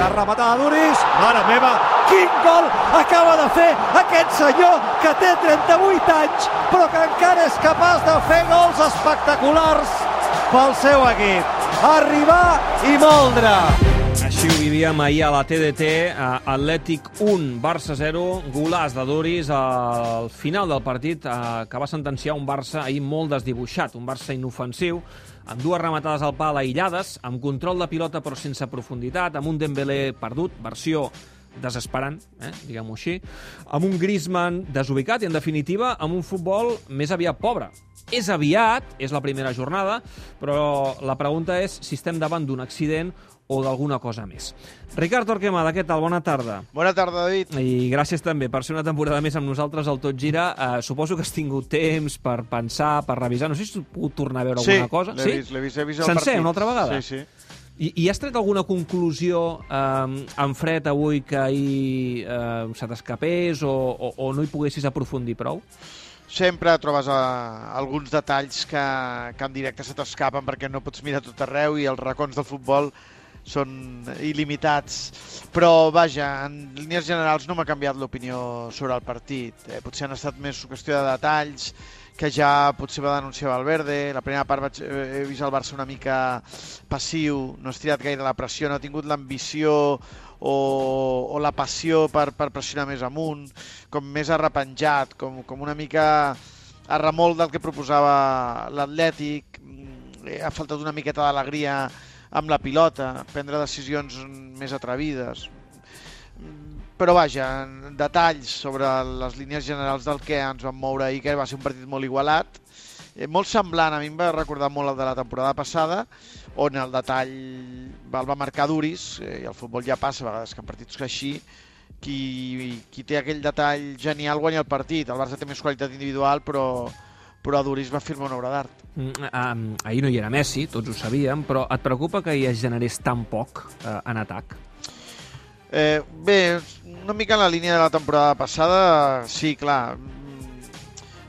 primera rematada d'Uris. Mare meva, quin gol acaba de fer aquest senyor que té 38 anys, però que encara és capaç de fer gols espectaculars pel seu equip. Arribar i moldre. Així ho vivíem ahir a la TDT, Atlètic 1, Barça 0, golàs de Duris al final del partit que va sentenciar un Barça ahir molt desdibuixat, un Barça inofensiu, amb dues rematades al pal aïllades, amb control de pilota però sense profunditat, amb un Dembélé perdut, versió desesperant, diguem-ho així, amb un Griezmann desubicat i, en definitiva, amb un futbol més aviat pobre. És aviat, és la primera jornada, però la pregunta és si estem davant d'un accident o d'alguna cosa més. Ricard Torquemada, què tal? Bona tarda. Bona tarda, David. I gràcies també per ser una temporada més amb nosaltres al Tot Gira. Suposo que has tingut temps per pensar, per revisar. No sé si has pogut tornar a veure alguna cosa. Sí, l'he vist el partit. Sencer, una altra vegada? Sí. I has tret alguna conclusió en fred avui que ahir se t'escapés o no hi poguessis aprofundir prou? Sempre trobes alguns detalls que en directe se t'escapen perquè no pots mirar tot arreu i els racons del futbol són il·limitats. Però, vaja, en línies generals no m'ha canviat l'opinió sobre el partit. Potser han estat més qüestió de detalls que ja potser va denunciar Valverde. La primera part he vist el Barça una mica passiu, no ha estirat gaire la pressió, no ha tingut l'ambició o la passió per pressionar més amunt, com més arrepenjat, com una mica a remolc del que proposava l'Atlètic. Ha faltat una miqueta d'alegria amb la pilota, prendre decisions més atrevides. Però vaja, detalls sobre les línies generals del que ens vam moure ahir, que va ser un partit molt igualat, molt semblant, a mi em va recordar molt el de la temporada passada, on el detall el va marcar Duris, i el futbol ja passa a vegades que en partits així, qui té aquell detall genial guanya el partit. El Barça té més qualitat individual, però Duris va firmar una obra d'art. Ahir no hi era Messi, tots ho sabíem, però et preocupa que hi es generés tan poc en atac? Bé, una mica en la línia de la temporada passada, sí, clar.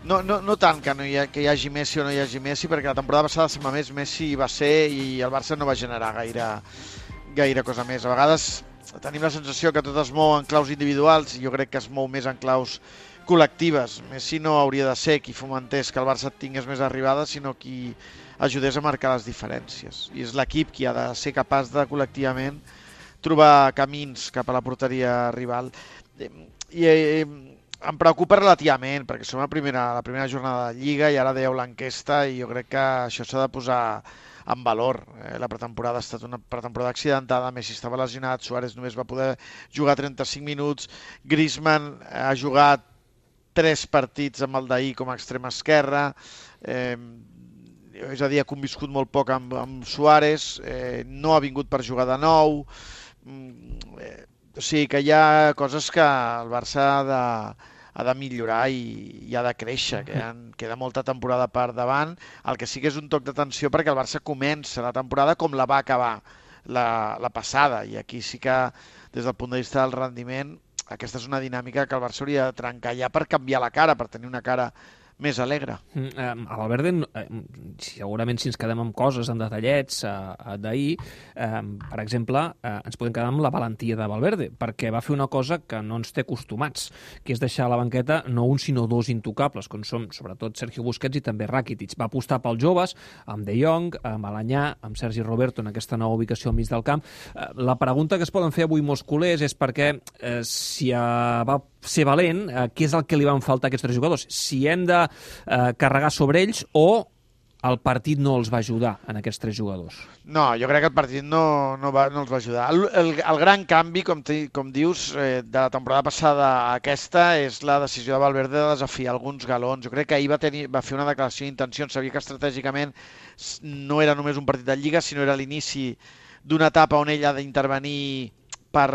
No tant que hi hagi Messi o no hi hagi Messi, perquè la temporada passada sembla més Messi va ser i el Barça no va generar gaire cosa més. A vegades tenim la sensació que tot es mou en claus individuals i jo crec que es mou més en claus col·lectives. Messi no hauria de ser qui fomentés que el Barça tingués més arribades, sinó qui ajudés a marcar les diferències. I és l'equip qui ha de ser capaç de col·lectivament trobar camins cap a la porteria rival. I em preocupa relativament, perquè som la primera jornada de Lliga i ara dèieu l'enquesta i jo crec que això s'ha de posar en valor. La pretemporada ha estat una pretemporada accidentada, Messi estava lesionat, Suárez només va poder jugar 35 minuts, Griezmann ha jugat 3 partits amb el d'ahir com a extrema esquerra, és a dir, ha conviscut molt poc amb Suárez, no ha vingut per jugar de nou. O sigui que hi ha coses que el Barça ha de millorar i ha de créixer, que queda molta temporada per davant. El que sí que és un toc d'atenció perquè el Barça comença la temporada com la va acabar la passada, i aquí sí que des del punt de vista del rendiment aquesta és una dinàmica que el Barça hauria de trencar ja per canviar la cara, per tenir una cara més alegre. A Valverde, segurament si ens quedem amb coses, amb detallets d'ahir, per exemple, ens podem quedar amb la valentia de Valverde, perquè va fer una cosa que no ens té acostumats, que és deixar a la banqueta no un sinó dos intocables, com som sobretot Sergio Busquets i també Rakitic. Va apostar pels joves, amb De Jong, amb Alanyà, amb Sergi Roberto en aquesta nova ubicació al mig del camp. La pregunta que es poden fer avui molts culers és perquè si va ser valent, què és el que li van faltar a aquests 3 jugadors? Si hem de carregar sobre ells o el partit no els va ajudar en aquests 3 jugadors? No, jo crec que el partit no els va ajudar. El gran canvi, com dius, de la temporada passada a aquesta és la decisió de Valverde de desafiar alguns galons. Jo crec que ahir va fer una declaració d'intencions, sabia que estratègicament no era només un partit de Lliga, sinó era l'inici d'una etapa on ell ha d'intervenir per,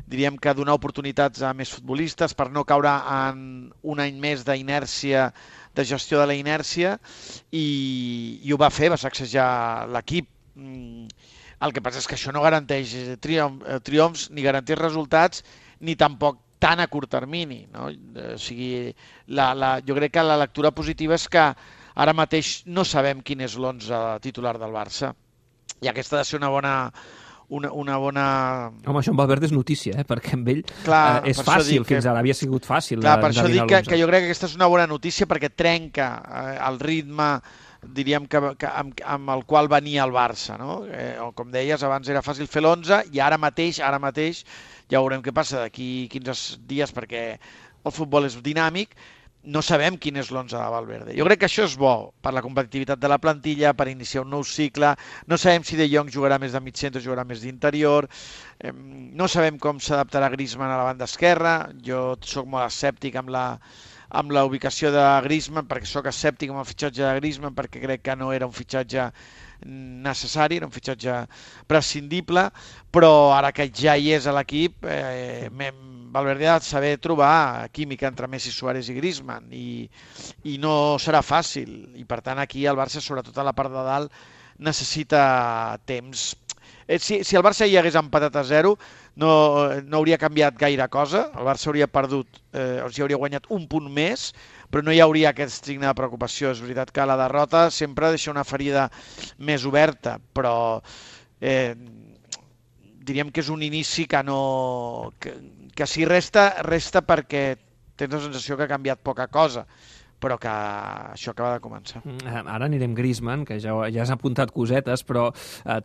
diríem que donar oportunitats a més futbolistes, per no caure en un any més d'inèrcia, de gestió de la inèrcia, i ho va fer, va sacsejar l'equip. El que passa és que això no garanteix triomfs, ni garanteix resultats, ni tampoc tan a curt termini, no? O sigui, jo crec que la lectura positiva és que ara mateix no sabem quin és l'11 titular del Barça, i aquesta ha de ser una bona... Home, això amb Valverde és notícia, perquè amb ell és fàcil, fins ara havia sigut fàcil. Clar, per això dic que jo crec que aquesta és una bona notícia perquè trenca el ritme, diríem, amb el qual venia el Barça, no? Com deies, abans era fàcil fer l'11 i ara mateix ja veurem què passa d'aquí 15 dies perquè el futbol és dinàmic. No sabem quin és l'11 de Valverde. Jo crec que això és bo per la competitivitat de la plantilla, per iniciar un nou cicle. No sabem si De Jong jugarà més de mig centre o jugarà més d'interior. No sabem com s'adaptarà Griezmann a la banda esquerra. Jo sóc molt escèptic amb la ubicació de Griezmann, perquè sóc escèptic amb el fitxatge de Griezmann, perquè crec que no era un fitxatge necessari, era un fitxatge prescindible, però ara que ja hi és a l'equip, Valverde ha de saber trobar química entre Messi, Suárez i Griezmann i no serà fàcil, i per tant aquí el Barça, sobretot a la part de dalt, necessita temps. Si el Barça hi hagués empatat a 0 no hauria canviat gaire cosa, el Barça hauria perdut, o sigui, hauria guanyat un punt més, però no hi hauria aquest signe de preocupació. És veritat que la derrota sempre deixa una ferida més oberta, però diríem que és un inici que si resta perquè tens la sensació que ha canviat poca cosa, però que això acaba de començar. Ara anirem Griezmann, que ja has apuntat cosetes, però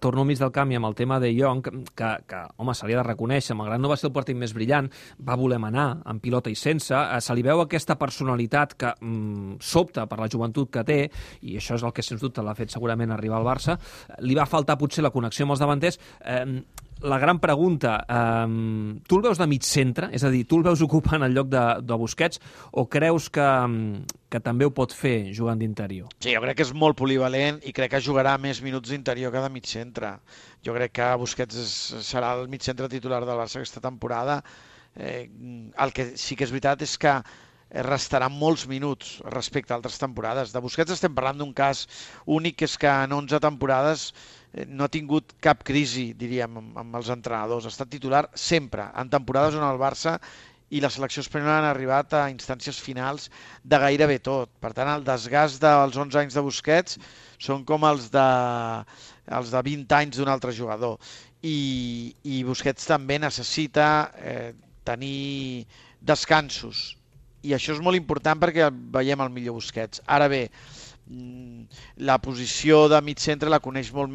torno al mig del camp i amb el tema de Jong, que home, se li ha de reconèixer, malgrat no va ser el partit més brillant, va voler manar, amb pilota i sense, se li veu aquesta personalitat que sobta per la joventut que té, i això és el que sens dubte l'ha fet segurament arribar al Barça. Li va faltar potser la connexió amb els davanters. La gran pregunta, tu el veus de mig centre? És a dir, tu el veus ocupant el lloc de Busquets o creus que també ho pot fer jugant d'interior? Sí, jo crec que és molt polivalent i crec que jugarà més minuts d'interior que de mig centre. Jo crec que Busquets serà el mig centre titular del Barça aquesta temporada. El que sí que és veritat és que restaran molts minuts respecte a altres temporades. De Busquets estem parlant d'un cas únic, que és que en 11 temporades no ha tingut cap crisi, diríem, amb els entrenadors. Ha estat titular sempre, en temporades on el Barça i la selecció espanyola han arribat a instàncies finals de gairebé tot. Per tant, el desgast dels 11 anys de Busquets són com els de 20 anys d'un altre jugador. I Busquets també necessita tenir descansos. I això és molt important perquè veiem el millor Busquets. Ara bé, la posició de mig centre la coneix molt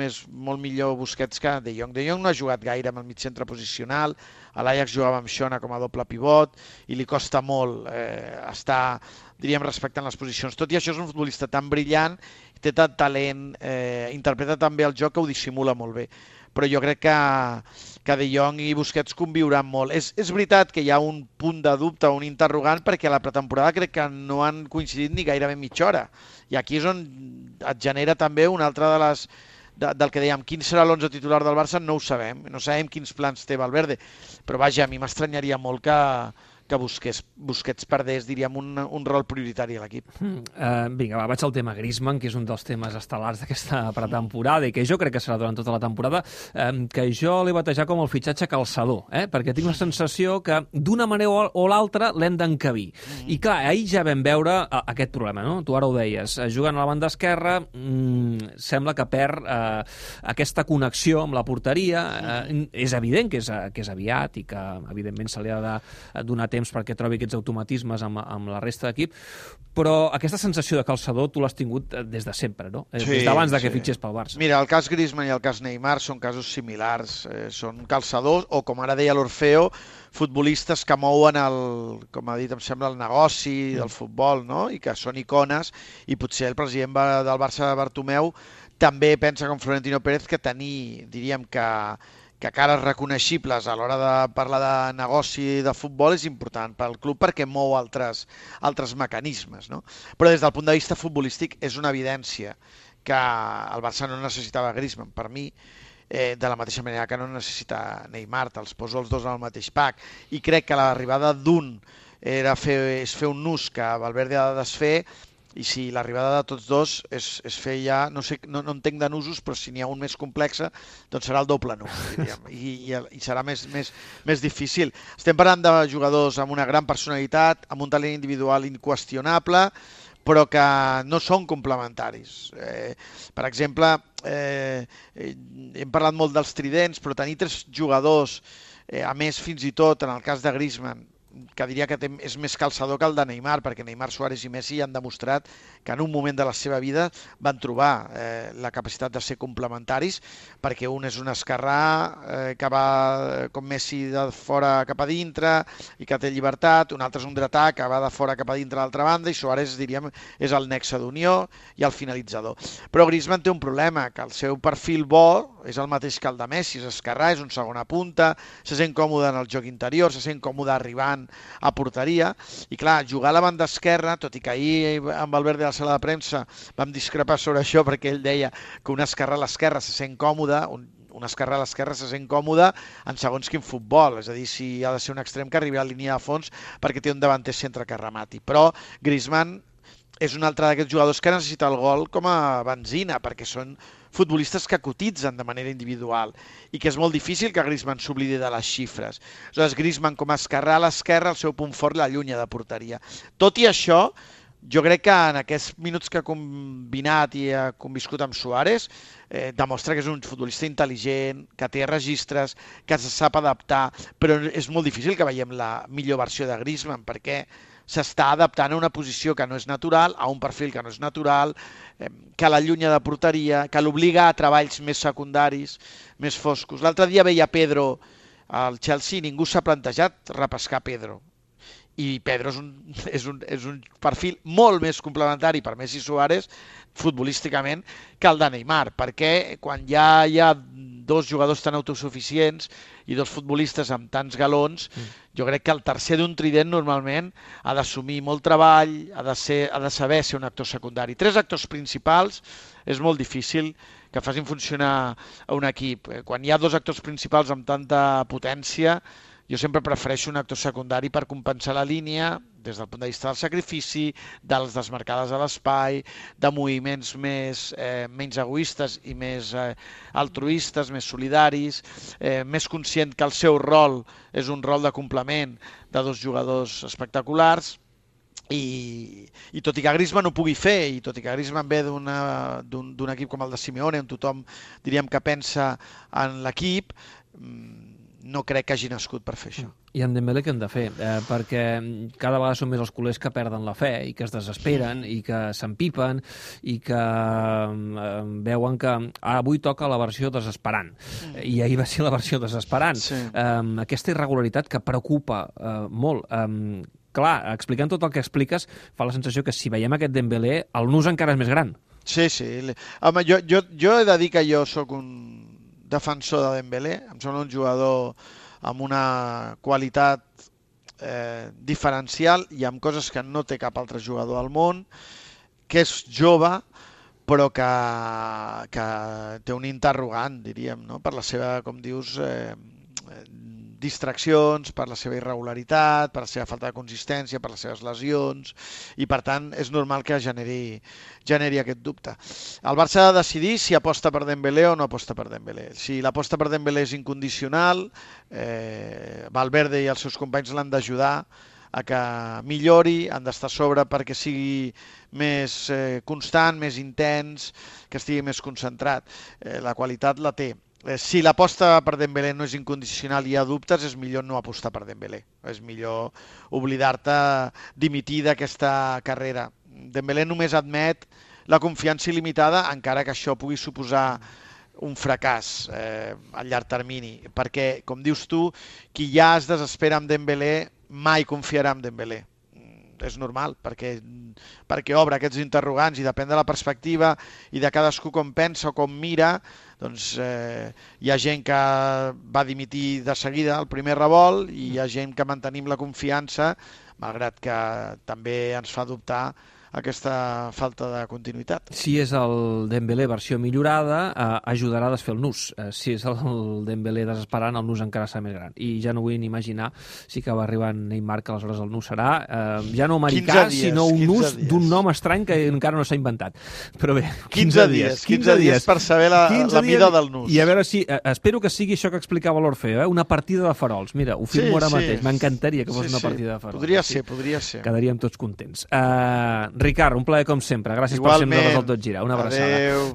millor Busquets que De Jong. De Jong no ha jugat gaire amb el mig centre posicional, a l'Ajax jugava amb Xona com a doble pivot i li costa molt estar, diríem, respectant les posicions. Tot i això és un futbolista tan brillant, té tant talent, interpreta tan bé el joc que ho dissimula molt bé. Però jo crec que De Jong i Busquets conviuran molt. És veritat que hi ha un punt de dubte, un interrogant, perquè a la pretemporada crec que no han coincidit ni gairebé mitja hora. I aquí és on et genera també una altra del que dèiem, quin serà l'11 titular del Barça, no ho sabem. No sabem quins plans té Valverde. Però vaja, a mi m'estranyaria molt que Busquets perdés, diríem, un rol prioritari a l'equip. Vinga, vaig al tema Griezmann, que és un dels temes estel·lars d'aquesta pretemporada i que jo crec que serà durant tota la temporada, que jo l'he batejat com el fitxatge calçador, perquè tinc la sensació que d'una manera o l'altra l'hem d'encabir. I clar, ahir ja vam veure aquest problema, no? Tu ara ho deies, jugant a la banda esquerra sembla que perd aquesta connexió amb la porteria. És evident que és aviat i que evidentment se li ha de donar temps perquè trobi aquests automatismes amb la resta d'equip, però aquesta sensació de calçador tu l'has tingut des de sempre, no? Sí, des d'abans que fitxés pel Barça. Mira, el cas Griezmann i el cas Neymar són casos similars, són calçadors o, com ara deia l'Orfeo, futbolistes que mouen com ha dit, em sembla, el negoci del futbol, no? I que són icones, i potser el president del Barça, Bartomeu, també pensa com Florentino Pérez que tenir, diríem, que cares reconeixibles a l'hora de parlar de negoci de futbol és important pel club perquè mou altres mecanismes, no? Però des del punt de vista futbolístic és una evidència que el Barça no necessitava Griezmann, per mi, de la mateixa manera que no necessita Neymar, els poso els dos en el mateix pack, i crec que l'arribada d'un és fer un nus que Valverde ha de desfer, i si l'arribada de tots dos és fer ja, no entenc de nusos, però si n'hi ha un més complex, doncs serà el doble nus, diríem, i serà més difícil. Estem parlant de jugadors amb una gran personalitat, amb un talent individual inqüestionable, però que no són complementaris. Per exemple, hem parlat molt dels tridents, però tenir 3 jugadors, a més fins i tot en el cas de Griezmann, que diria que és més calçador que el de Neymar, perquè Neymar, Suárez i Messi han demostrat que en un moment de la seva vida van trobar la capacitat de ser complementaris, perquè un és un esquerrà que va com Messi de fora cap a dintre i que té llibertat, un altre és un dretà que va de fora cap a dintre a l'altra banda, i Suárez, diríem, és el nexe d'unió i el finalitzador. Però Griezmann té un problema, que el seu perfil bo és el mateix que el de Messi, és esquerrà, és un segona punta, se sent còmode en el joc interior, se sent còmode arribant a porteria, i clar, jugar a la banda esquerra, tot i que ahir amb Valverde a la sala de premsa vam discrepar sobre això, perquè ell deia que un esquerrà a l'esquerra se sent còmode, un esquerrà a l'esquerra se sent còmode en segons quin futbol, és a dir, si ha de ser un extrem que arribi a la línia de fons perquè té un davanter centre que remati. Però Griezmann és un altre d'aquests jugadors que necessita el gol com a benzina, perquè són futbolistes que cotitzen de manera individual i que és molt difícil que Griezmann s'oblidi de les xifres. Aleshores, Griezmann com a esquerrà a l'esquerra, el seu punt fort l'allunya de porteria. Tot i això, jo crec que en aquests minuts que ha combinat i ha conviscut amb Suárez, demostra que és un futbolista intel·ligent, que té registres, que se sap adaptar, però és molt difícil que veiem la millor versió de Griezmann, perquè s'està adaptant a una posició que no és natural, a un perfil que no és natural, que l'allunya de porteria, que l'obliga a treballs més secundaris, més foscos. L'altre dia veia Pedro al Chelsea i ningú s'ha plantejat repescar Pedro. I Pedro és un perfil molt més complementari per Messi i Suárez futbolísticament que el de Neymar, perquè quan ja hi ha 2 jugadors tan autosuficients i 2 futbolistes amb tants galons, jo crec que el tercer d'un trident normalment ha d'assumir molt treball, ha de saber ser un actor secundari. 3 actors principals és molt difícil que facin funcionar a un equip. Quan hi ha 2 actors principals amb tanta potència, jo sempre prefereixo un actor secundari per compensar la línia des del punt de vista del sacrifici, de les desmarcades a l'espai, de moviments menys egoistes i més altruistes, més solidaris, més conscient que el seu rol és un rol de complement de 2 jugadors espectaculars. I tot i que Griezmann ho pugui fer, i tot i que Griezmann ve d'un equip com el de Simeone, on tothom diríem que pensa en l'equip, no crec que hagi nascut per fer això. I en Dembélé què hem de fer? Perquè cada vegada són més els culers que perden la fe i que es desesperen i que s'empipen i que veuen que avui toca la versió desesperant. I ahir va ser la versió desesperant. Sí. Aquesta irregularitat que preocupa molt. Clar, explicant tot el que expliques, fa la sensació que si veiem aquest Dembélé, el nus encara és més gran. Sí. Home, jo he de dir que jo sóc un defensor de Dembélé, em sembla un jugador amb una qualitat diferencial i amb coses que no té cap altre jugador al món, que és jove, però que té un interrogant, diríem, no? Per la seva, com dius, distraccions, per la seva irregularitat, per la seva falta de consistència, per les seves lesions, i per tant és normal que generi aquest dubte. El Barça ha de decidir si aposta per Dembélé o no aposta per Dembélé. Si l'aposta per Dembélé és incondicional, Valverde i els seus companys l'han d'ajudar a que millori, han d'estar a sobre perquè sigui més constant, més intens, que estigui més concentrat. La qualitat la té. Si l'aposta per Dembélé no és incondicional i hi ha dubtes, és millor no apostar per Dembélé. És millor oblidar-te, dimitir d'aquesta carrera. Dembélé només admet la confiança il·limitada, encara que això pugui suposar un fracàs a llarg termini. Perquè, com dius tu, qui ja es desespera amb Dembélé mai confiarà en Dembélé. És normal, perquè obre aquests interrogants i depèn de la perspectiva i de cadascú com pensa o com mira, doncs hi ha gent que va dimitir de seguida al primer revolt i hi ha gent que mantenim la confiança, malgrat que també ens fa dubtar aquesta falta de continuïtat. Si és el Dembélé versió millorada, ajudarà a desfer el nus. Si és el Dembélé desesperant, el nus encara serà més gran. I ja no vull ni imaginar si acaba arribant Neymar, que aleshores el nus serà ja no americà, sinó un nus d'un nom estrany que encara no s'ha inventat. Però bé, 15 dies per saber la mida del nus. I a veure si... Espero que sigui això que explicava l'Orfeo, una partida de farols. Mira, ho firmo ara mateix. M'encantaria que fos una partida de farols. Podria ser. Quedaríem tots contents. Ricard, un plaer com sempre. Gràcies per sempre des del Tot Gira. Una abraçada. Adéu.